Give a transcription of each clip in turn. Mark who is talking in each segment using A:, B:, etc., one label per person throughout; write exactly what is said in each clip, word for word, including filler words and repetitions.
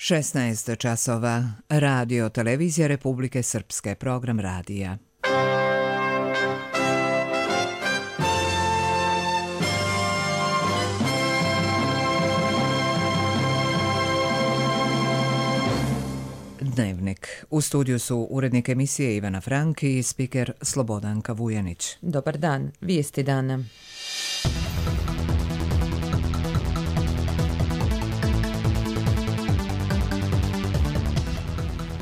A: šesnaest časova. Radio Televizija Republike Srpske. Program radija. Dnevnik. U studiju su urednik emisije Ivana Frank i spiker Slobodanka Vujanić.
B: Dobar dan. Vijesti dana.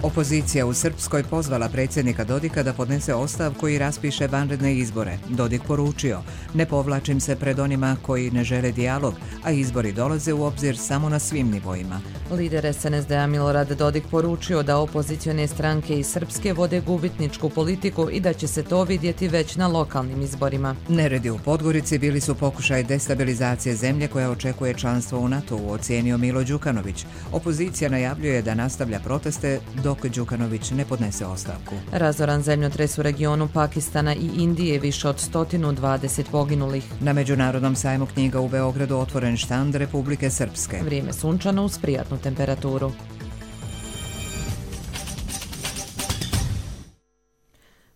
A: Opozicija u Srpskoj pozvala predsjednika Dodika da podnese ostavku i raspiše vanredne izbore. Dodik poručio: ne povlačim se pred onima koji ne žele dijalog, a izbori dolaze u obzir samo na svim nivoima.
B: Lider es en es de a Milorad Dodik poručio da opozicione stranke iz Srpske vode gubitničku politiku i da će se to vidjeti već na lokalnim izborima.
A: Neredi u Podgorici bili su pokušaj destabilizacije zemlje koja očekuje članstvo u NATO-u, ocijenio Milo Đukanović. Opozicija najavljuje da nastavlja proteste dok Đukanović ne podnese ostavku.
B: Razoran zemljotres u regionu Pakistana i Indije, više od sto dvadeset poginulih.
A: Na Međunarodnom sajmu knjiga u Beogradu otvoren štand Republike Srpske.
B: Vrijeme sunčano uz prijatnu temperaturu.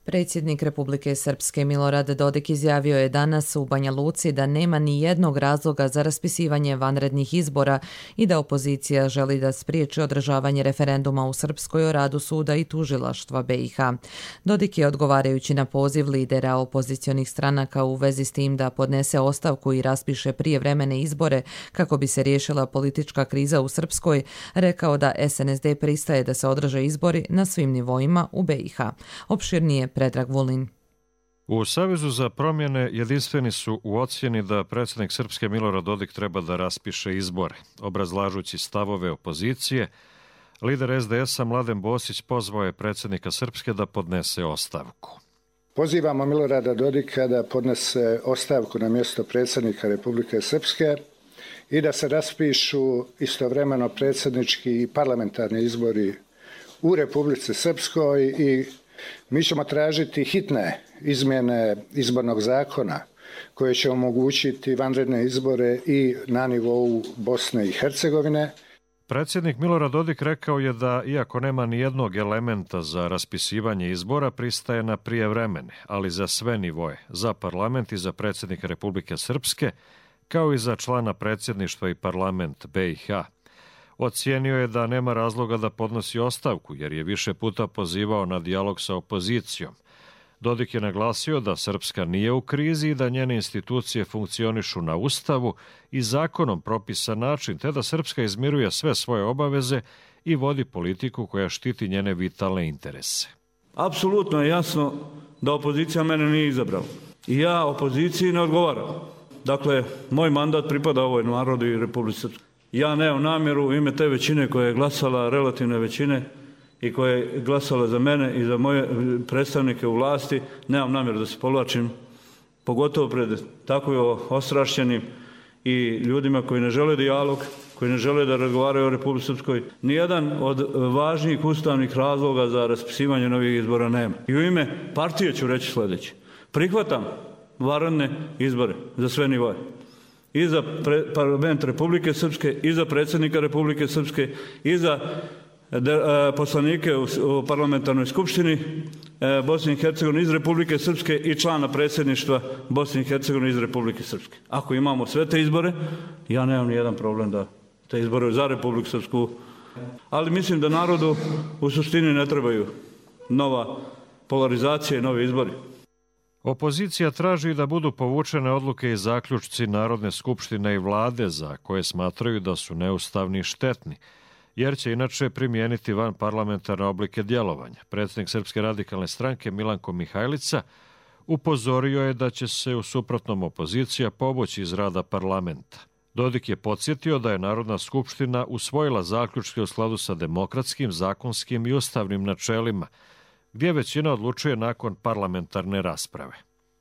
B: Predsjednik Republike Srpske Milorad Dodik izjavio je danas u Banja Luci da nema ni jednog razloga za raspisivanje vanrednih izbora i da opozicija želi da spriječi održavanje referenduma u Srpskoj o radu suda i tužilaštva be i ha. Dodik je, odgovarajući na poziv lidera opozicionih stranaka u vezi s tim da podnese ostavku i raspiše prijevremene izbore kako bi se riješila politička kriza u Srpskoj, rekao da es en es de pristaje da se održe izbori na svim nivoima u be i ha. Opširnije Predrag Vulin.
C: U Savezu za promjene jedinstveni su u ocjeni da predsjednik Srpske Milorad Dodik treba da raspiše izbore. Obrazlažući stavove opozicije, lider es de es a Mladen Bosić pozvao je predsjednika Srpske da podnese ostavku.
D: Pozivamo Milorada Dodika da podnese ostavku na mjesto predsjednika Republike Srpske i da se raspišu istovremeno predsjednički i parlamentarni izbori u Republici Srpskoj i mi ćemo tražiti hitne izmjene izbornog zakona koje će omogućiti vanredne izbore i na nivou Bosne i Hercegovine.
C: Predsjednik Milorad Dodik rekao je da, iako nema ni jednog elementa za raspisivanje izbora, pristaje na prijevremene, ali za sve nivoje, za parlament i za predsjednika Republike Srpske, kao i za člana predsjedništva i parlament be i ha. Ocijenio je da nema razloga da podnosi ostavku, jer je više puta pozivao na dijalog sa opozicijom. Dodik je naglasio da Srpska nije u krizi i da njene institucije funkcionišu na Ustavu i zakonom propisan način, te da Srpska izmiruje sve svoje obaveze i vodi politiku koja štiti njene vitalne interese.
E: Apsolutno je jasno da opozicija mene nije izabrala. I ja opoziciji ne odgovaram. Dakle, moj mandat pripada ovoj narodu i Republici Srpskoj. Ja nemam namjeru u ime te većine koja je glasala, relativne većine, i koja je glasala za mene i za moje predstavnike u vlasti, nemam namjeru da se povlačim, pogotovo pred tako ostrašćenim i ljudima koji ne žele dijalog, koji ne žele da razgovaraju o Republici Srpskoj. Nijedan od važnijih ustavnih razloga za raspisivanje novih izbora nema. I u ime partije ću reći sljedeće. Prihvatam vanredne izbore za sve nivoje. I za pre, parlament Republike Srpske, i za predsjednika Republike Srpske, i za de, e, poslanike u, u parlamentarnoj skupštini e, Bosne i Hercegovine iz Republike Srpske i člana predsjedništva Bosne i Hercegovine iz Republike Srpske. Ako imamo sve te izbore, ja nemam ni jedan problem da te izbore za Republiku Srpsku. Ali mislim da narodu u suštini ne trebaju nova polarizacija i novi izbori.
C: Opozicija traži da budu povučene odluke i zaključci Narodne skupštine i vlade za koje smatraju da su neustavni i štetni, jer će inače primijeniti van parlamentarne oblike djelovanja. Predsjednik Srpske radikalne stranke Milanko Mihajlica upozorio je da će se u suprotnom opozicija povući iz rada parlamenta. Dodik je podsjetio da je Narodna skupština usvojila zaključke u skladu sa demokratskim, zakonskim i ustavnim načelima, gdje većina odlučuje nakon parlamentarne rasprave.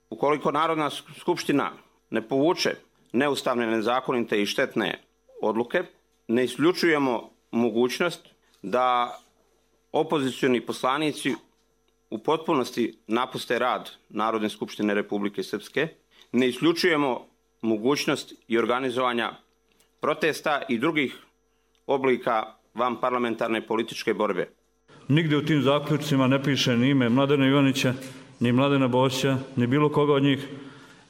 F: Ukoliko Narodna skupština ne povuče neustavne, nezakonite i štetne odluke, ne isključujemo mogućnost da opozicioni poslanici u potpunosti napuste rad Narodne skupštine Republike Srpske, ne isključujemo mogućnost i organizovanja protesta i drugih oblika van parlamentarne političke borbe.
E: Nigdje u tim zaključcima ne piše ni ime Mladena Ivanića, ni Mladena Bošća, ni bilo koga od njih,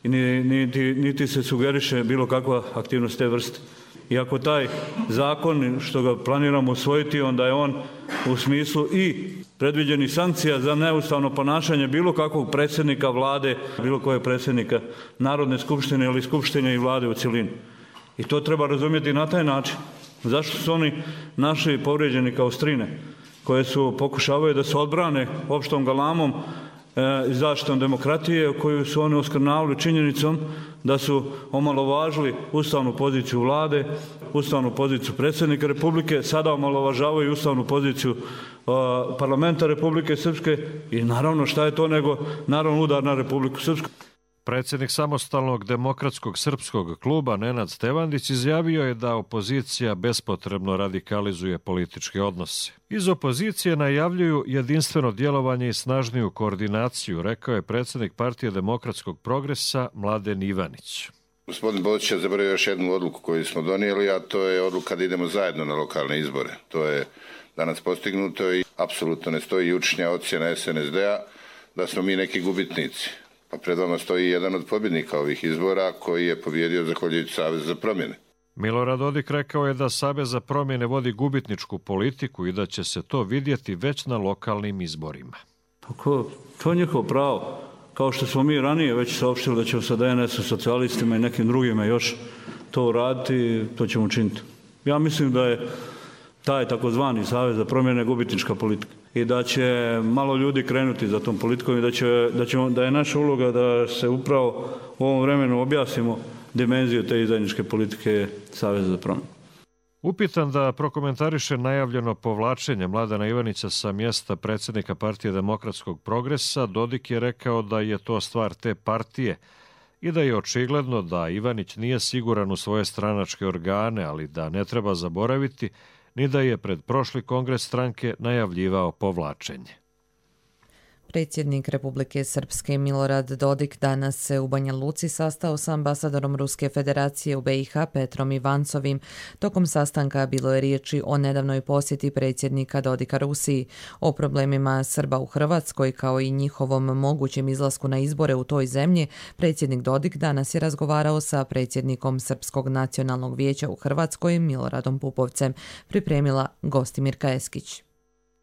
E: ni, niti, niti se sugeriše bilo kakva aktivnost te vrste. I ako taj zakon što ga planiramo usvojiti, onda je on u smislu i predviđenih sankcija za neustavno ponašanje bilo kakvog predsjednika vlade, bilo kojeg predsjednika Narodne skupštine ili skupštine i vlade u cjelini. I to treba razumjeti na taj način. Zašto su oni naši povrijeđeni kao strine koje su pokušavaju da se odbrane opštom galamom i zaštitom demokratije koju su oni oskrnavili činjenicom da su omalovažili ustavnu poziciju vlade, ustavnu poziciju predsjednika Republike, sada omalovažavaju ustavnu poziciju uh, parlamenta Republike Srpske i naravno šta je to nego naravno udar na Republiku Srpsku.
C: Predsjednik samostalnog demokratskog srpskog kluba Nenad Stevandić izjavio je da opozicija bespotrebno radikalizuje političke odnose. Iz opozicije najavljuju jedinstveno djelovanje i snažniju koordinaciju, rekao je predsjednik Partije demokratskog progresa Mladen Ivanić.
G: Gospodin Bočić je zaboravio još jednu odluku koju smo donijeli, a to je odluka da idemo zajedno na lokalne izbore. To je danas postignuto i apsolutno ne stoji jučnja ocjena S N S D-a da smo mi neki gubitnici. Pa pred vama stoji jedan od pobjednika ovih izbora koji je pobjedio zahvaljujući Savez za promjene.
C: Milorad Dodik rekao je da Savez za promjene vodi gubitničku politiku i da će se to vidjeti već na lokalnim izborima.
E: Tako, to je njihovo pravo. Kao što smo mi ranije već saopštili da ćemo sa D N S-om, socijalistima i nekim drugima još to uraditi, to ćemo učiniti. Ja mislim da je taj takozvani Savez za promjene gubitnička politika i da će malo ljudi krenuti za tom politikom i da, će, da, ćemo, da je naša uloga da se upravo u ovom vremenu objasnimo dimenziju te zajedničke politike Saveza za promjene.
C: Upitan da prokomentariše najavljeno povlačenje Mladena Ivanića sa mjesta predsjednika Partije demokratskog progresa, Dodik je rekao da je to stvar te partije i da je očigledno da Ivanić nije siguran u svoje stranačke organe, ali da ne treba zaboraviti ni da je pred prošli kongres stranke najavljivao povlačenje.
B: Predsjednik Republike Srpske Milorad Dodik danas se u Banja Luci sastao sa ambasadorom Ruske federacije u B i H Petrom Ivancovim. Tokom sastanka bilo je riječi o nedavnoj posjeti predsjednika Dodika Rusiji, o problemima Srba u Hrvatskoj kao i njihovom mogućem izlasku na izbore u toj zemlji. Predsjednik Dodik danas je razgovarao sa predsjednikom Srpskog nacionalnog vijeća u Hrvatskoj Miloradom Pupovcem, pripremila Gostimirka Eskić.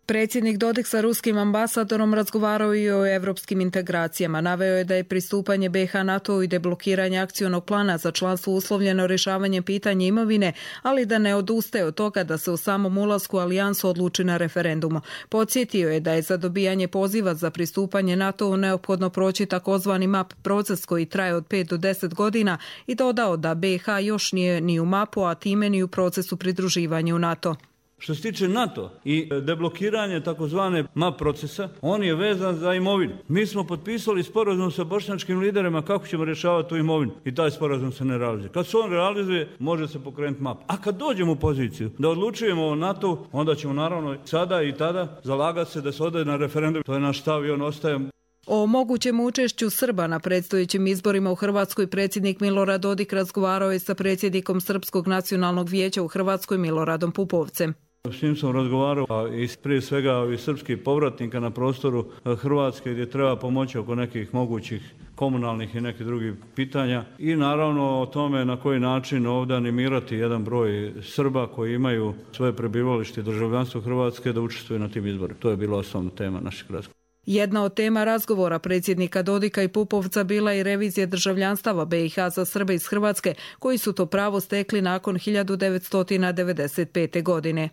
H: Predsjednik Dodik sa ruskim ambasadorom razgovarao i o evropskim integracijama. Naveo je da je pristupanje B i H NATO i deblokiranje akcionog plana za članstvo uslovljeno rješavanjem pitanja imovine, ali da ne odustaje od toga da se u samom ulasku u alijansu odluči na referendumu. Podsjetio je da je za dobijanje poziva za pristupanje NATO neophodno proći takozvani map proces koji traje od pet do deset godina i dodao da B i H još nije ni u mapu, a time ni u procesu pridruživanja u NATO.
E: Što se tiče NATO i deblokiranje takozvane map procesa, on je vezan za imovinu. Mi smo potpisali sporazum sa bošnjačkim liderima kako ćemo rješavati tu imovinu i taj sporazum se ne realizuje. Kad se on realizuje, može se pokrenuti map. A kad dođemo u poziciju da odlučujemo o NATO, onda ćemo naravno sada i tada zalagati se da se ode na referendum. To je naš stav i on ostaje.
H: O mogućem učešću Srba na predstojećim izborima u Hrvatskoj predsjednik Milorad Dodik razgovarao je sa predsjednikom Srpskog nacionalnog vijeća u Hrvatskoj Miloradom Pupovcem.
E: S njim sam razgovarao a i prije svega i srpskih povratnika na prostoru Hrvatske gdje treba pomoći oko nekih mogućih komunalnih i nekih drugih pitanja i naravno o tome na koji način ovdje animirati jedan broj Srba koji imaju svoje prebivalište i državljanstvo Hrvatske da učestvuju na tim izborima. To je bila osnovna tema našeg razgovora.
H: Jedna od tema razgovora predsjednika Dodika i Pupovca bila je revizija državljanstava B i H za Srbe iz Hrvatske koji su to pravo stekli nakon hiljadu devetsto devedeset pete. godine.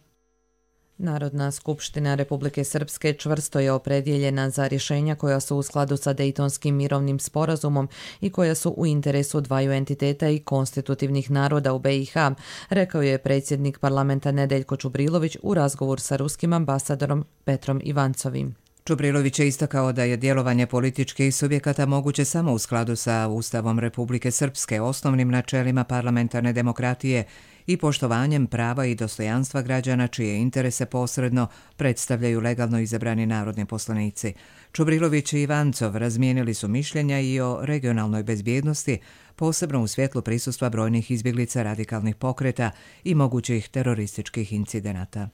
B: Narodna skupština Republike Srpske čvrsto je opredjeljena za rješenja koja su u skladu sa Dejtonskim mirovnim sporazumom i koja su u interesu dvaju entiteta i konstitutivnih naroda u B i H, rekao je predsjednik parlamenta Nedeljko Čubrilović u razgovor sa ruskim ambasadorom Petrom Ivancovim.
A: Čubrilović je istakao da je djelovanje političkih subjekata moguće samo u skladu sa Ustavom Republike Srpske, osnovnim načelima parlamentarne demokratije i poštovanjem prava i dostojanstva građana čije interese posredno predstavljaju legalno izabrani narodni poslanici. Čubrilović i Ivancov razmijenili su mišljenja i o regionalnoj bezbjednosti, posebno u svjetlu prisustva brojnih izbjeglica radikalnih pokreta i mogućih terorističkih incidenata.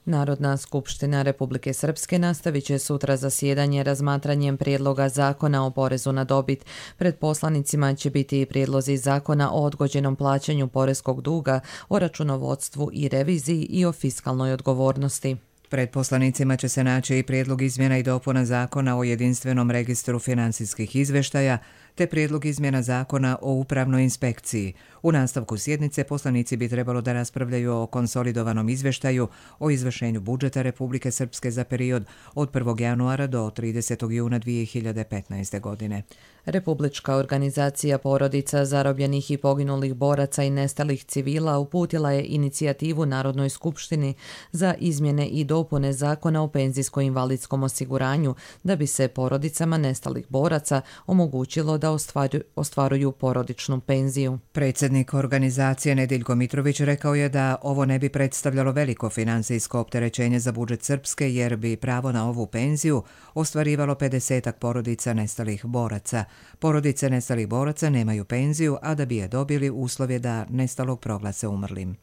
B: Narodna skupština Republike Srpske nastavit će sutra zasjedanje razmatranjem prijedloga zakona o porezu na dobit. Pred poslanicima će biti i prijedlozi zakona o odgođenom plaćanju poreskog duga, o računovodstvu i reviziji i o fiskalnoj odgovornosti.
A: Pred poslanicima će se naći i prijedlog izmjena i dopuna zakona o jedinstvenom registru financijskih izvještaja, te prijedlog izmjena zakona o upravnoj inspekciji. U nastavku sjednice poslanici bi trebalo da raspravljaju o konsolidovanom izvještaju o izvršenju budžeta Republike Srpske za period od prvog januara do tridesetog juna dvije hiljade petnaeste. godine.
B: Republička organizacija porodica zarobljenih i poginulih boraca i nestalih civila uputila je inicijativu Narodnoj skupštini za izmjene i dopune zakona o penzijsko-invalidskom osiguranju da bi se porodicama nestalih boraca omogućilo da ostvaruju, ostvaruju porodičnu penziju.
A: Predsjednik organizacije Nediljko Mitrović rekao je da ovo ne bi predstavljalo veliko financijsko opterećenje za budžet Srpske jer bi pravo na ovu penziju ostvarivalo pedesetak porodica nestalih boraca. Porodice nestalih boraca nemaju penziju, a da bi je dobili uslov je da nestalog proglase umrlim.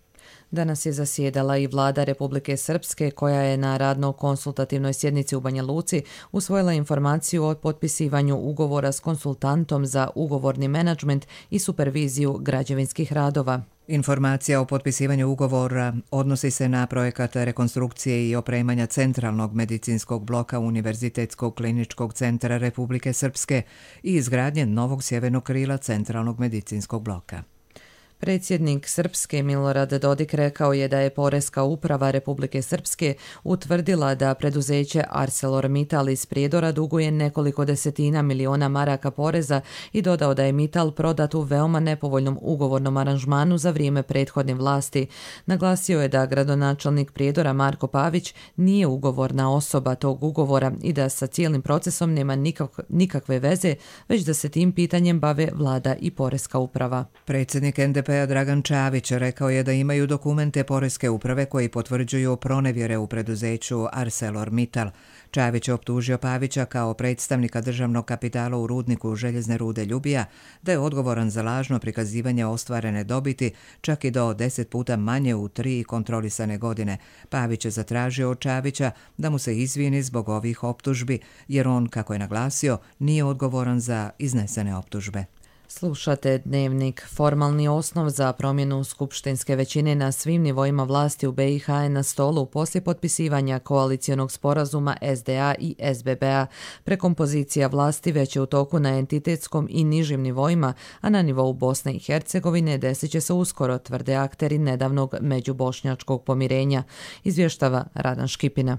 B: Danas je zasjedala i vlada Republike Srpske koja je na radno-konsultativnoj sjednici u Banja Luci usvojila informaciju o potpisivanju ugovora s konsultantom za ugovorni menadžment i superviziju građevinskih radova.
A: Informacija o potpisivanju ugovora odnosi se na projekat rekonstrukcije i opremanja centralnog medicinskog bloka Univerzitetskog kliničkog centra Republike Srpske i izgradnje novog sjevernog krila centralnog medicinskog bloka.
B: Predsjednik Srpske Milorad Dodik rekao je da je Poreska uprava Republike Srpske utvrdila da preduzeće ArcelorMittal iz Prijedora duguje nekoliko desetina miliona maraka poreza i dodao da je Mittal prodat u veoma nepovoljnom ugovornom aranžmanu za vrijeme prethodne vlasti. Naglasio je da gradonačelnik Prijedora Marko Pavić nije ugovorna osoba tog ugovora i da sa cijelim procesom nema nikak, nikakve veze, već da se tim pitanjem bave vlada i Poreska uprava.
A: Predsjednik en de pe Dragan Čavić rekao je da imaju dokumente Poreske uprave koji potvrđuju pronevjere u preduzeću ArcelorMittal. Čavić je optužio Pavića kao predstavnika državnog kapitala u rudniku željezne rude Ljubija da je odgovoran za lažno prikazivanje ostvarene dobiti čak i do deset puta manje u tri kontrolisane godine. Pavić je zatražio od Čavića da mu se izvini zbog ovih optužbi jer on, kako je naglasio, nije odgovoran za iznesene optužbe.
B: Slušate Dnevnik. Formalni osnov za promjenu skupštinske većine na svim nivoima vlasti u be i ha je na stolu poslije potpisivanja koalicijonog sporazuma es de a i es be be a. Prekompozicija vlasti već je u toku na entitetskom i nižim nivoima, a na nivou Bosne i Hercegovine desit će se uskoro, tvrde akteri nedavnog međubošnjačkog pomirenja, izvještava Radan Škipina.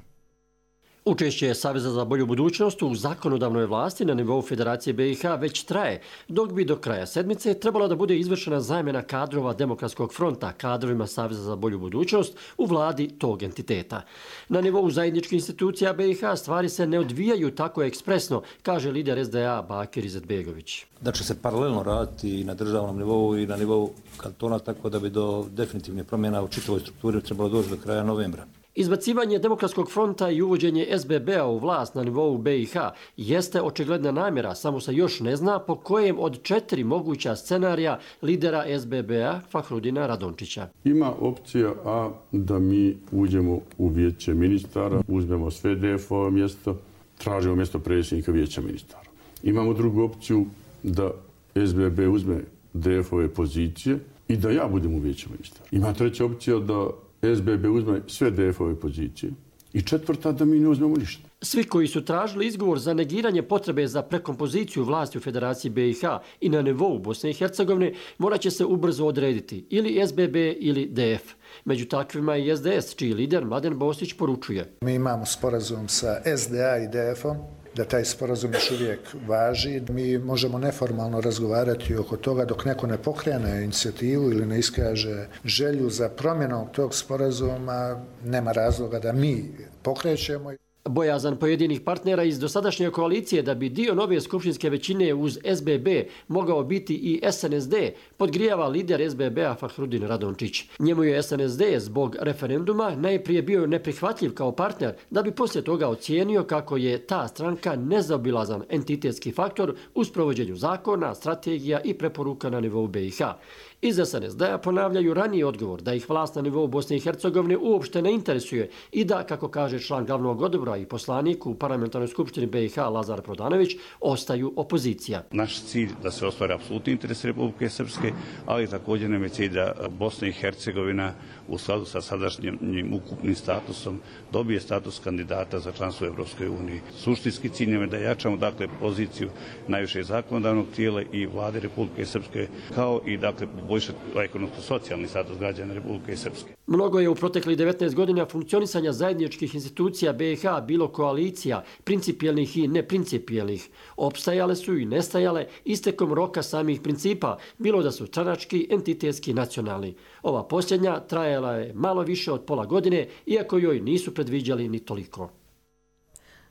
I: Učešće Saveza za bolju budućnost u zakonodavnoj vlasti na nivou Federacije be i ha već traje, dok bi do kraja sedmice trebalo da bude izvršena zamjena kadrova Demokratskog fronta kadrovima Saveza za bolju budućnost u vladi tog entiteta. Na nivou zajedničkih institucija be i ha stvari se ne odvijaju tako ekspresno, kaže lider es de a Bakir Izetbegović.
J: Da će se paralelno raditi i na državnom nivou i na nivou kantona, tako da bi do definitivne promjena u čitavoj strukturi trebalo doći do kraja novembra.
I: Izbacivanje Demokratskog fronta i uvođenje es be be a u vlast na nivou be i ha jeste očigledna namjera, samo se još ne zna po kojem od četiri moguća scenarija lidera es be be a Fahrudina Radončića.
K: Ima opcija A da mi uđemo u vijeće ministara, uzmemo sve de efova mjesto, tražimo mjesto predsjednika vijeća ministara. Imamo drugu opciju da es be be uzme de efove pozicije i da ja budem u vijeću ministara. Ima treća opcija da es be be uzme sve de efove pozicije i četvrta da mi ne uzmemo ništa.
I: Svi koji su tražili izgovor za negiranje potrebe za prekompoziciju vlasti u Federaciji be i ha i na nivou Bosne i Hercegovine morat će se ubrzo odrediti ili es be be ili de ef. Među takvima i es de es, čiji lider Mladen Bosić poručuje.
D: Mi imamo sporazum sa es de a i de efom, da taj sporazum još uvijek važi. Mi možemo neformalno razgovarati oko toga dok neko ne pokrene inicijativu ili ne iskaže želju za promjenom tog sporazuma, nema razloga da mi pokrećemo.
I: Bojazan pojedinih partnera iz dosadašnje koalicije da bi dio nove skupštinske većine uz es be be mogao biti i es en es de podgrijava lider es be be a Fahrudin Radončić. Njemu je es en es de zbog referenduma najprije bio neprihvatljiv kao partner, da bi poslije toga ocijenio kako je ta stranka nezaobilazan entitetski faktor u sprovođenju zakona, strategija i preporuka na nivou be i ha. Iz es en es de a ponavljaju raniji odgovor da ih vlast na nivou Bosne i Hercegovine uopšte ne interesuje i da, kako kaže član glavnog odbora i poslanik u Parlamentarnoj skupštini be i ha Lazar Prodanović, ostaju opozicija.
L: Naš cilj da se ostvari apsolutni interes Republike Srpske, ali također nam je cilj da Bosna i Hercegovina u skladu sa sadašnjim ukupnim statusom dobije status kandidata za članstvo u Evropskoj uniji. Suštinski cilj nam je da jačamo dakle poziciju najvišeg zakonodavnog tijela i vlade Republike Srpske, kao i dakle poboljšati ekonomsko-socijalni status građana Republike Srpske.
I: Mnogo je u proteklih devetnaest godina funkcionisanja zajedničkih institucija be i ha bilo koalicija, principijelnih i neprincipijelnih. Opstajale su i nestajale istekom roka samih principa, bilo da su stranački, entitetski, nacionalni. Ova posljednja trajala je malo više od pola godine, iako joj nisu predviđali ni toliko.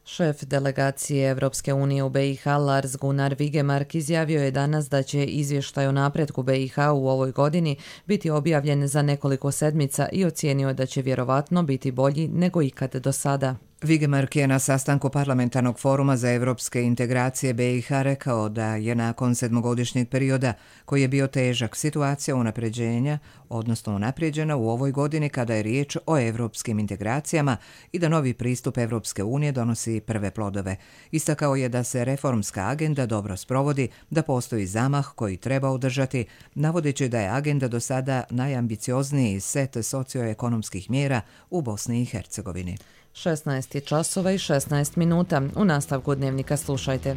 B: Šef delegacije Evropske unije u be i ha Lars Gunnar Vigemark izjavio je danas da će izvještaj o napretku be i ha u ovoj godini biti objavljen za nekoliko sedmica i ocijenio da će vjerovatno biti bolji nego ikad do sada.
A: Vigemark je na sastanku Parlamentarnog foruma za evropske integracije be i ha rekao da je nakon sedmogodišnjeg perioda, koji je bio težak, situacija unapređenja, odnosno unapređena u ovoj godini kada je riječ o evropskim integracijama i da novi pristup Evropske unije donosi prve plodove. Istakao je da se reformska agenda dobro sprovodi, da postoji zamah koji treba održati, navodeći da je agenda do sada najambiciozniji set socioekonomskih mjera u Bosni i Hercegovini.
B: šesnaest je časova i šesnaest minuta. U nastavku dnevnika slušajte.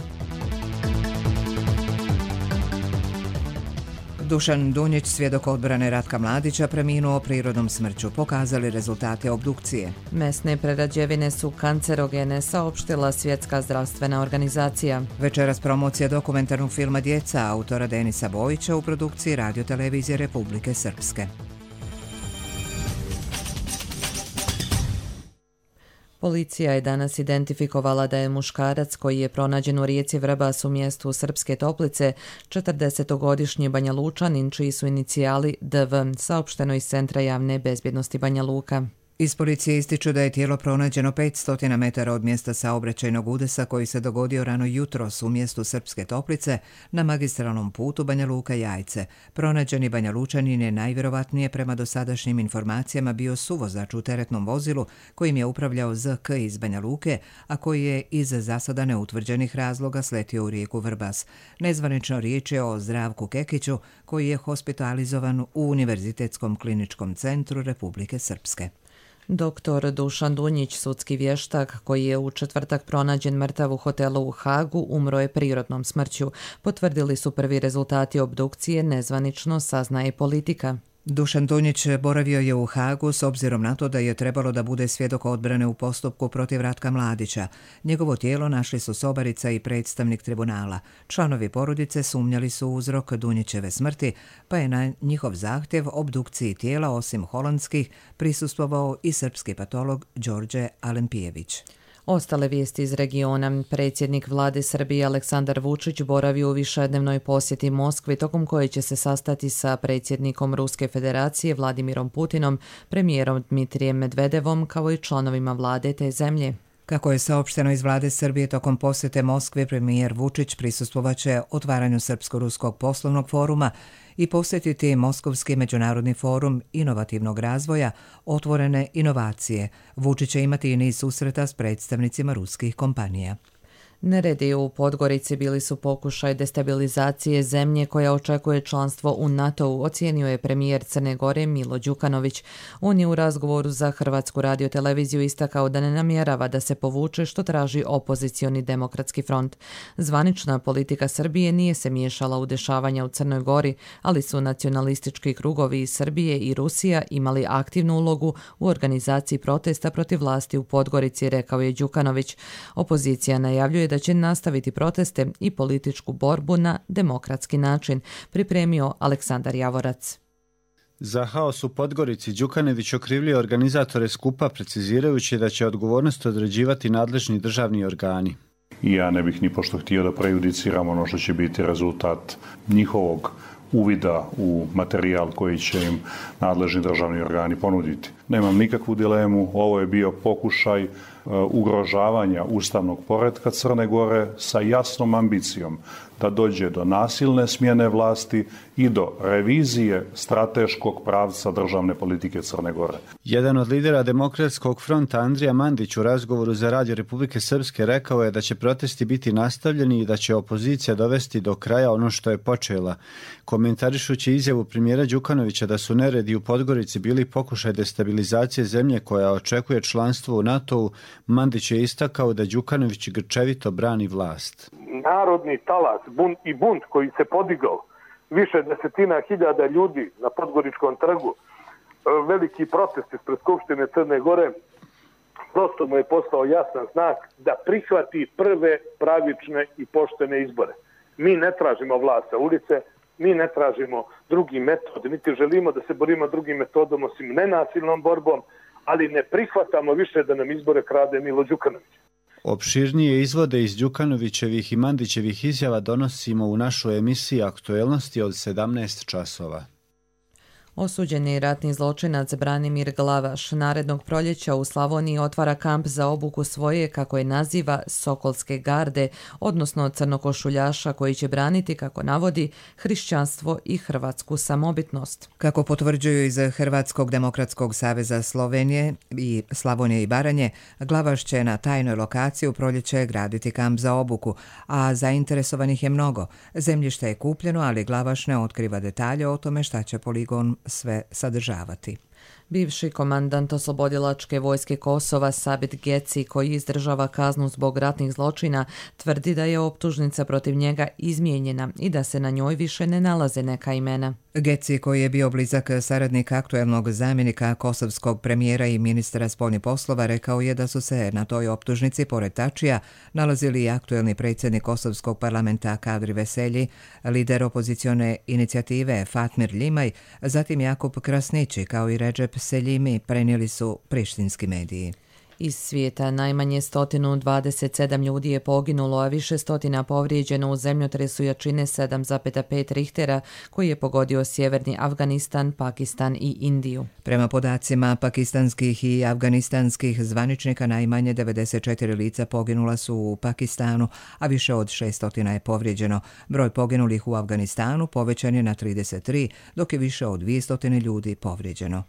A: Dušan Dunjić, svjedok odbrane Ratka Mladića, preminuo prirodnom smrću, pokazali rezultate obdukcije.
B: Mesne prerađevine su kancerogene, saopštila Svjetska zdravstvena organizacija.
A: Večeras promocija dokumentarnog filma Djeca autora Denisa Bojića u produkciji Radio-televizije Republike Srpske.
B: Policija je danas identifikovala da je muškarac koji je pronađen u rijeci Vrbas u mjestu Srpske Toplice, četrdesetogodišnji Banja Lučanin, čiji su inicijali D V, saopšteno iz Centra javne bezbjednosti Banja Luka.
A: Iz policije ističu da je tijelo pronađeno petsto metara od mjesta saobraćajnog udesa koji se dogodio rano jutros u mjestu Srpske Toplice na magistralnom putu Banja Luka-Jajce. Pronađeni Banja Lučanin je najvjerovatnije prema dosadašnjim informacijama bio suvozač u teretnom vozilu kojim je upravljao Z K iz Banja Luke, a koji je iz za sada neutvrđenih razloga sletio u rijeku Vrbas. Nezvanično riječ je o Zdravku Kekiću koji je hospitalizovan u Univerzitetskom kliničkom centru Republike Srpske.
B: Doktor Dušan Dunjić, sudski vještak koji je u četvrtak pronađen mrtav u hotelu u Hagu, umro je prirodnom smrću. Potvrdili su prvi rezultati obdukcije, nezvanično saznaje Politika.
A: Dušan Dunjić boravio je u Hagu s obzirom na to da je trebalo da bude svjedok odbrane u postupku protiv Ratka Mladića. Njegovo tijelo našli su sobarica i predstavnik tribunala. Članovi porodice sumnjali su uzrok Dunjićeve smrti, pa je na njihov zahtjev obdukciji tijela osim holandskih prisustvovao i srpski patolog Đorđe Alempijević.
B: Ostale vijesti iz regiona. Predsjednik vlade Srbije Aleksandar Vučić boravi u višednevnoj posjeti Moskvi, tokom koje će se sastati sa predsjednikom Ruske federacije Vladimirom Putinom, premijerom Dmitrijem Medvedevom, kao i članovima vlade te zemlje.
A: Kako je saopšteno iz vlade Srbije, tokom posjete Moskve premijer Vučić prisustvovaće otvaranju Srpsko-ruskog poslovnog foruma i posjetiti Moskovski međunarodni forum inovativnog razvoja, otvorene inovacije. Vučić će imati i niz susreta s predstavnicima ruskih kompanija.
B: Neredi u Podgorici bili su pokušaj destabilizacije zemlje koja očekuje članstvo u NATO-u, ocijenio je premijer Crne Gore Milo Đukanović. On je u razgovoru za Hrvatsku radio-televiziju istakao da ne namjerava da se povuče, što traži opozicioni demokratski front. Zvanična politika Srbije nije se miješala u dešavanja u Crnoj Gori, ali su nacionalistički krugovi iz Srbije i Rusija imali aktivnu ulogu u organizaciji protesta protiv vlasti u Podgorici, rekao je Đukanović. Opozicija najavljuje da će nastaviti proteste i političku borbu na demokratski način, pripremio Aleksandar Javorac.
M: Za haos u Podgorici Đukanović okrivljuje organizatore skupa, precizirajući da će odgovornost određivati nadležni državni organi.
N: Ja ne bih ni pošto htio da prejudiciram ono što će biti rezultat njihovog uvida u materijal koji će im nadležni državni organi ponuditi. Nemam nikakvu dilemu, ovo je bio pokušaj ugrožavanja ustavnog poretka Crne Gore sa jasnom ambicijom da dođe do nasilne smjene vlasti i do revizije strateškog pravca državne politike Crne Gore.
M: Jedan od lidera Demokratskog fronta, Andrija Mandić, u razgovoru za Radio Republike Srpske rekao je da će protesti biti nastavljeni i da će opozicija dovesti do kraja ono što je počela. Komentarišući izjavu premijera Đukanovića da su neredi u Podgorici bili pokušaj destabilizacije zemlje koja očekuje članstvo u NATO-u, Mandić je istakao da Đukanović grčevito brani vlast.
O: Narodni talas bunt i bunt koji se podigao, više desetina hiljada ljudi na Podgoričkom trgu, veliki protest ispred Skupštine Crne Gore, prosto mu je postao jasan znak da prihvati prve pravične i poštene izbore. Mi ne tražimo vlast sa ulice, mi ne tražimo drugi metod, niti želimo da se borimo drugim metodom osim nenasilnom borbom, ali ne prihvatamo više da nam izbore krade Milo Đukanović.
M: Opširnije izvode iz Đukanovićevih i Mandićevih izjava donosimo u našoj emisiji Aktuelnosti od sedamnaest časova.
B: Osuđeni ratni zločinac Branimir Glavaš narednog proljeća u Slavoniji otvara kamp za obuku svoje, kako je naziva, Sokolske garde, odnosno crnokošuljaša koji će braniti, kako navodi, hrišćanstvo i hrvatsku samobitnost.
A: Kako potvrđuju iz Hrvatskog demokratskog saveza Slovenije i Slavonije i Baranje, Glavaš će na tajnoj lokaciji u proljeće graditi kamp za obuku, a zainteresovanih je mnogo. Zemljište je kupljeno, ali Glavaš ne otkriva detalje o tome šta će poligon sve sadržavati.
B: Bivši komandant oslobodilačke vojske Kosova Sabit Geci, koji izdržava kaznu zbog ratnih zločina, tvrdi da je optužnica protiv njega izmijenjena i da se na njoj više ne nalaze neka imena.
A: Geci, koji je bio blizak saradnik aktuelnog zamjenika kosovskog premijera i ministra spoljnih poslova, rekao je da su se na toj optužnici, pored Tačija, nalazili i aktuelni predsjednik kosovskog parlamenta Kadri Veselji, lider opozicione inicijative Fatmir Ljimaj, zatim Jakub Krasnići kao i Redžep Seljimi, prenijeli su prištinski mediji.
B: Iz svijeta najmanje sto dvadeset sedam ljudi je poginulo, a više stotina povrijeđeno u zemljotresu jačine sedam zarez pet Richtera koji je pogodio sjeverni Afganistan, Pakistan i Indiju.
A: Prema podacima pakistanskih i afganistanskih zvaničnika, najmanje devedeset četiri lica poginula su u Pakistanu, a više od šeststo je povrijeđeno. Broj poginulih u Afganistanu povećan je na trideset tri, dok je više od dvjesto ljudi povrijeđeno.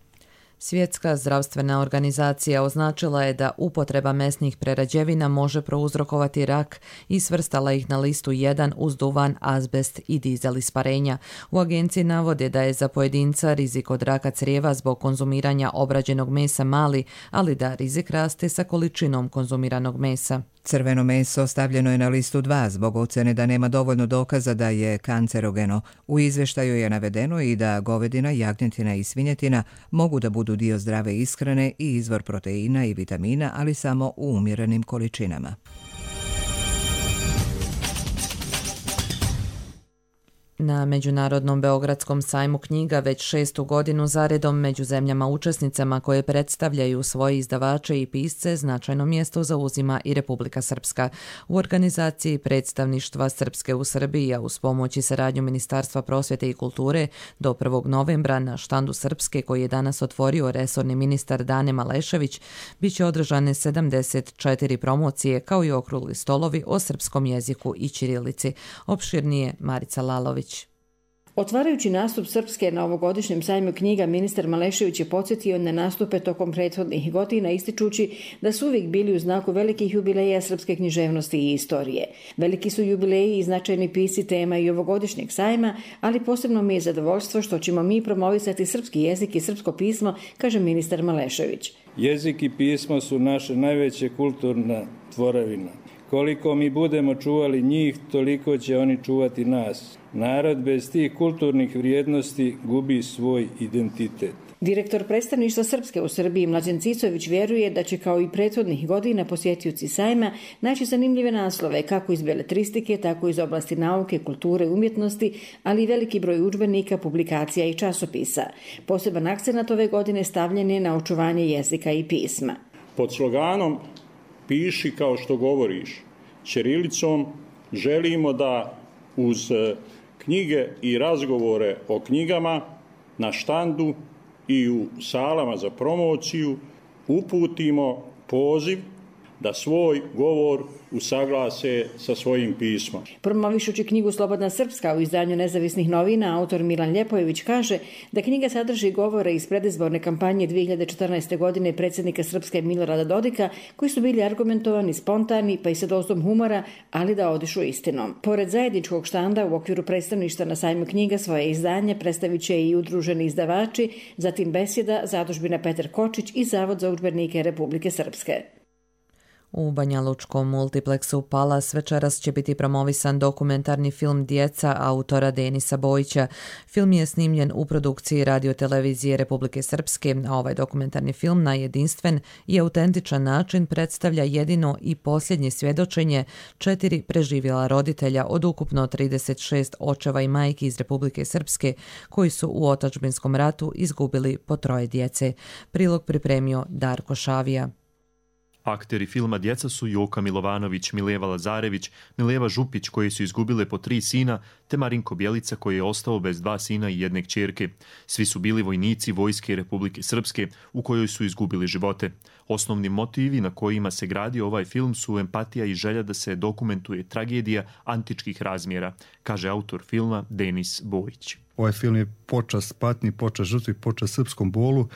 B: Svjetska zdravstvena organizacija označila je da upotreba mesnih prerađevina može prouzrokovati rak i svrstala ih na listu jedan uz duvan, azbest i dizel isparenja. U agenciji navode da je za pojedinca rizik od raka crijeva zbog konzumiranja obrađenog mesa mali, ali da rizik raste sa količinom konzumiranog mesa.
A: Crveno meso stavljeno je na listu dva zbog ocjene da nema dovoljno dokaza da je kancerogeno. U izvještaju je navedeno i da govedina, jagnjetina i svinjetina mogu da budu dio zdrave ishrane i izvor proteina i vitamina, ali samo u umjerenim količinama.
B: Na Međunarodnom Beogradskom sajmu knjiga već šestu godinu zaredom među zemljama učesnicama koje predstavljaju svoje izdavače i pisce značajno mjesto zauzima i Republika Srpska. U organizaciji predstavništva Srpske u Srbiji, a uz pomoć i saradnju Ministarstva prosvjete i kulture, do prvog novembra na štandu Srpske, koji je danas otvorio resorni ministar Dane Malešević, bit će održane sedamdeset četiri promocije kao i okrugli stolovi o srpskom jeziku i ćirilici. Opširnije Marica Lalović.
P: Otvarajući nastup Srpske na ovogodišnjem sajmu knjiga, ministar Malešević je podsjetio na nastupe tokom prethodnih godina, ističući da su uvijek bili u znaku velikih jubileja srpske književnosti i istorije. Veliki su jubileji i značajni pisci tema i ovogodišnjeg sajma, ali posebno mi je zadovoljstvo što ćemo mi promovisati srpski jezik i srpsko pismo, kaže ministar Malešević.
Q: Jezik i pismo su naše najveće kulturna tvorevina. Koliko mi budemo čuvali njih, toliko će oni čuvati nas. Narod bez tih kulturnih vrijednosti gubi svoj identitet.
P: Direktor predstavništva Srpske u Srbiji Mlađan Cicović vjeruje da će kao i prethodnih godina posjetioci sajma naći zanimljive naslove kako iz beletristike, tako iz oblasti nauke, kulture, umjetnosti, ali i veliki broj udžbenika, publikacija i časopisa. Poseban akcenat ove godine stavljen je na očuvanje jezika i pisma.
N: Pod sloganom Piši kao što govoriš ćirilicom želimo da uz knjige i razgovore o knjigama na štandu
R: i u salama za promociju uputimo poziv da svoj govor usaglase sa svojim pismom.
P: Promovišući knjigu Slobodna Srpska u izdanju Nezavisnih novina, autor Milan Ljepojević kaže da knjiga sadrži govore iz predizborne kampanje dvije hiljade četrnaeste. godine predsjednika Srpske Milorada Dodika, koji su bili argumentovani, spontani, pa i sa dozom humora, ali da odišu istinom. Pored zajedničkog štanda u okviru predstavništva na sajmu knjiga svoje izdanje predstavit će i udruženi izdavači, zatim Besjeda, Zadužbina Petar Kočić i Zavod za udžbenike Republike Srpske.
B: U Banjalučkom multipleksu Palas večeras će biti promovisan dokumentarni film Djeca autora Denisa Bojića. Film je snimljen u produkciji radiotelevizije Republike Srpske, a ovaj dokumentarni film na jedinstven i autentičan način predstavlja jedino i posljednje svjedočenje četiri preživjela roditelja od ukupno trideset šest očeva i majki iz Republike Srpske koji su u otadžbinskom ratu izgubili po troje djece. Prilog pripremio Darko Šavija.
S: Akteri filma Djeca su Joka Milovanović, Mileva Lazarević, Mileva Župić koji su izgubile po tri sina, te Marinko Bjelica koji je ostao bez dva sina i jedne kćerke. Svi su bili vojnici Vojske Republike Srpske u kojoj su izgubili živote. Osnovni motivi na kojima se gradi ovaj film su empatija i želja da se dokumentuje tragedija antičkih razmjera, kaže autor filma Denis Bojić.
T: Ovaj film je počast patnji, počast žrtvi, počast srpskom bolu.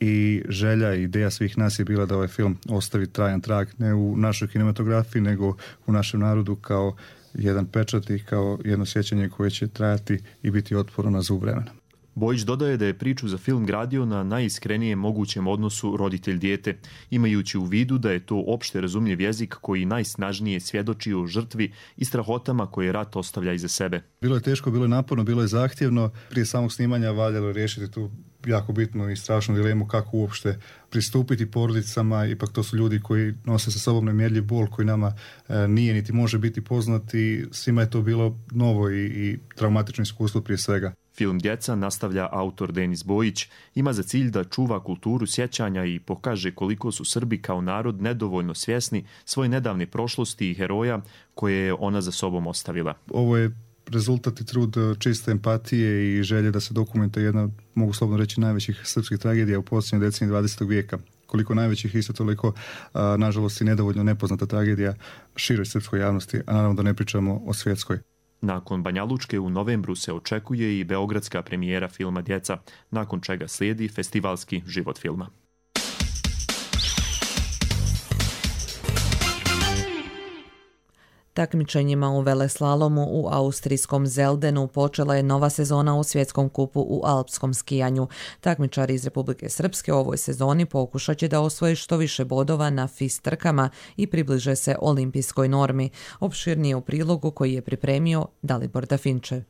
T: I želja i ideja svih nas je bila da ovaj film ostavi trajan trag ne u našoj kinematografiji, nego u našem narodu kao jedan pečat i kao jedno sjećanje koje će trajati i biti otporno na zub vremena.
S: Bojić dodaje da je priču za film gradio na najiskrenijem mogućem odnosu roditelj-dijete, imajući u vidu da je to opšte razumljiv jezik koji najsnažnije svjedoči o žrtvi i strahotama koje rat ostavlja iza sebe.
T: Bilo je teško, bilo je naporno, bilo je zahtjevno. Prije samog snimanja valjalo je riješiti tu jako bitnu i strašnu dilemu kako uopšte pristupiti porodicama. Ipak to su ljudi koji nose sa sobom nemjerljiv bol koji nama e, nije niti može biti poznat i svima je to bilo novo i, i traumatično iskustvo prije svega.
S: Film Djeca, nastavlja autor Denis Bojić, ima za cilj da čuva kulturu sjećanja i pokaže koliko su Srbi kao narod nedovoljno svjesni svoje nedavne prošlosti i heroja koje je ona za sobom ostavila.
T: Ovo je rezultat i trud čiste empatije i želje da se dokumentuje jedna, mogu slobodno reći, najvećih srpskih tragedija u posljednjoj deceniji dvadesetog vijeka. Koliko najvećih, isto toliko, a, nažalost, i nedovoljno nepoznata tragedija široj srpskoj javnosti, a naravno da ne pričamo o svjetskoj.
S: Nakon Banjalučke u novembru se očekuje i beogradska premijera filma Djeca, nakon čega slijedi festivalski život filma.
B: Takmičenjima u veleslalomu u austrijskom Zeldenu počela je nova sezona u svjetskom kupu u alpskom skijanju. Takmičari iz Republike Srpske u ovoj sezoni pokušat će da osvoje što više bodova na F I S trkama i približe se olimpijskoj normi. Opširnije u prilogu koji je pripremio Dalibor Dafinče.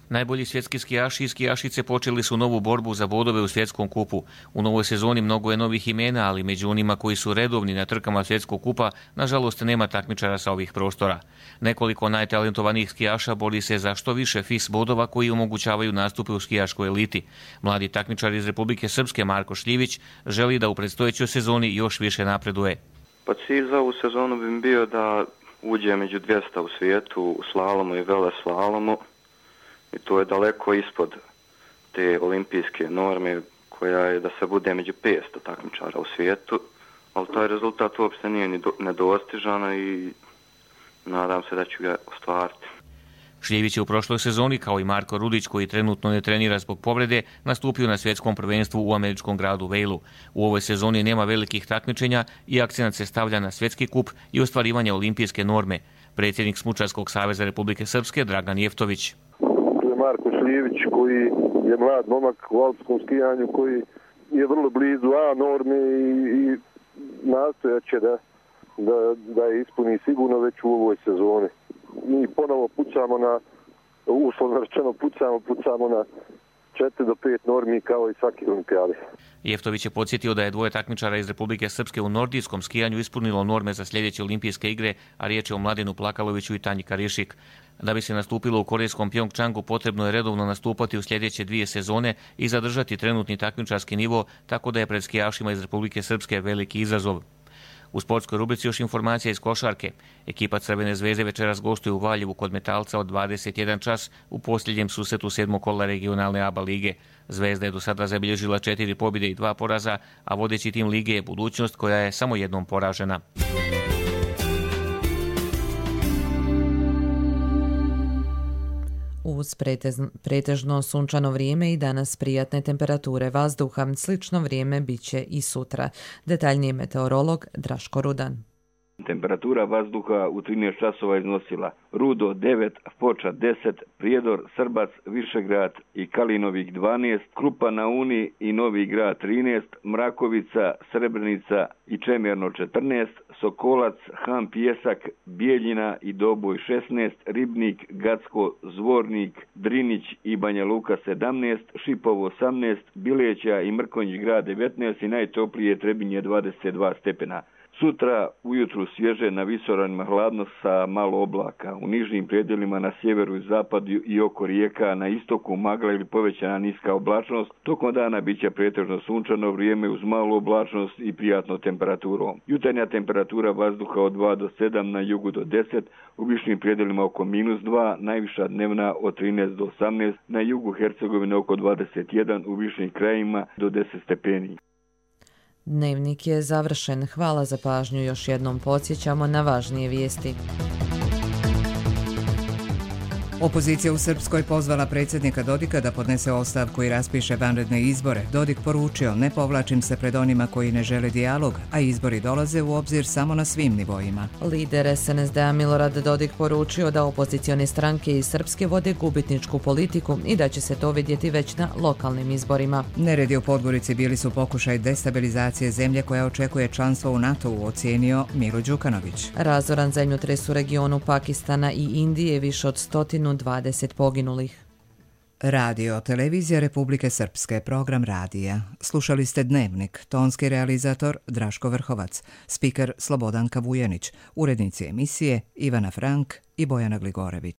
U: Najbolji svjetski skijaši i skijašice počeli su novu borbu za bodove u svjetskom kupu. U novoj sezoni mnogo je novih imena, ali među onima koji su redovni na trkama svjetskog kupa, nažalost nema takmičara sa ovih prostora. Nekoliko najtalentovanijih skijaša bori se za što više F I S bodova koji omogućavaju nastupe u skijaškoj eliti. Mladi takmičar iz Republike Srpske Marko Šljivić želi da u predstojećoj sezoni još više napreduje.
V: Pa cilj za ovu sezonu bi bio da uđe među dvjesto u svijetu u slalomu i veleslalomu. I to je daleko ispod te olimpijske norme koja je da se bude među petsto takmičara u svijetu, ali taj rezultat uopšte nije ni nedostižan i nadam se da ću ga ostvariti.
U: Šljević je u prošloj sezoni, kao i Marko Rudić, koji trenutno ne trenira zbog povrede, nastupio na svjetskom prvenstvu u američkom gradu Vejlu. U ovoj sezoni nema velikih takmičenja i akcenat se stavlja na svjetski kup i ostvarivanje olimpijske norme. Predsjednik Smučarskog saveza Republike Srpske Dragan Jeftović.
W: Marko Šljivić koji je mlad momak u alpskom skijanju koji je vrlo blizu A norme i, i nastojat će da, da, da je ispuni sigurno već u ovoj sezoni. Mi ponovo pucamo na, uslovno rečeno pucamo, pucamo na četiri do pet normi kao i svaki olimpijadi.
U: Jeftović je podsjetio da je dvoje takmičara iz Republike Srpske u nordijskom skijanju ispunilo norme za sljedeće olimpijske igre, a riječ je o Mladenu Plakaloviću i Tanji Karišik. Da bi se nastupilo u korejskom Pjongčangu, potrebno je redovno nastupati u sljedeće dvije sezone i zadržati trenutni takmičarski nivo, tako da je pred skijašima iz Republike Srpske veliki izazov. U sportskoj rubrici još informacija iz košarke. Ekipa Crvene zvezde večeras gostuje u Valjevu kod Metalca od dvadeset jedan čas u posljednjem susretu sedmog kola regionalne A B A lige. Zvezda je do sada zabilježila četiri pobjede i dva poraza, a vodeći tim lige je Budućnost koja je samo jednom poražena.
B: Uz pretežno sunčano vrijeme i danas prijatne temperature vazduha, slično vrijeme bit će i sutra. Detaljniji meteorolog Draško Rudan.
C: Temperatura vazduha u trinaest časova iznosila Rudo devet, Foča deset, Prijedor, Srbac, Višegrad i Kalinovik dvanaest, Krupa na Uni i Novi Grad trinaest, Mrakovica, Srebrenica i Čemerno četrnaest, Sokolac, Han Pjesak, Bijeljina i Doboj šesnaest, Ribnik, Gacko, Zvornik, Drinić i Banja Luka sedamnaest, Šipovo osamnaest, Bileća i Mrkonjić grad devetnaest i najtoplije Trebinje dvadeset dva stepena. Sutra ujutru svježe, na visoravnima hladno sa malo oblaka. U nižnim predjelima na sjeveru i zapadu i oko rijeka, na istoku magla ili povećana niska oblačnost. Tokom dana bit će pretežno sunčano vrijeme uz malu oblačnost i prijatno temperaturom. Jutarnja temperatura vazduha od dva do sedam, na jugu do deset, u višnim predjelima oko minus dva, najviša dnevna od trinaest do osamnaest, na jugu Hercegovine oko dvadeset jedan, u višnim krajima do deset stepeni.
B: Dnevnik je završen. Hvala za pažnju. Još jednom podsjećamo na važnije vijesti.
A: Opozicija u Srpskoj pozvala predsjednika Dodika da podnese ostavku i raspiše vanredne izbore. Dodik poručio: ne povlačim se pred onima koji ne žele dijalog, a izbori dolaze u obzir samo na svim nivoima.
B: Lider S N S D-a Milorad Dodik poručio da opozicione stranke iz Srpske vode gubitničku politiku i da će se to vidjeti već na lokalnim izborima.
A: Neredi u Podgorici bili su pokušaj destabilizacije zemlje koja očekuje članstvo u NATO-u, ocijenio Milo Đukanović.
B: Razoran zemljotres u regionu Pakistana i Indije, više od stotinu dvadeset poginulih.
A: Radio Televizija Republike Srpske, program radija. Slušali ste Dnevnik, tonski realizator Draško Vrhovac, spiker Slobodanka Vujenić, urednici emisije Ivana Frank i Bojana Gligorević.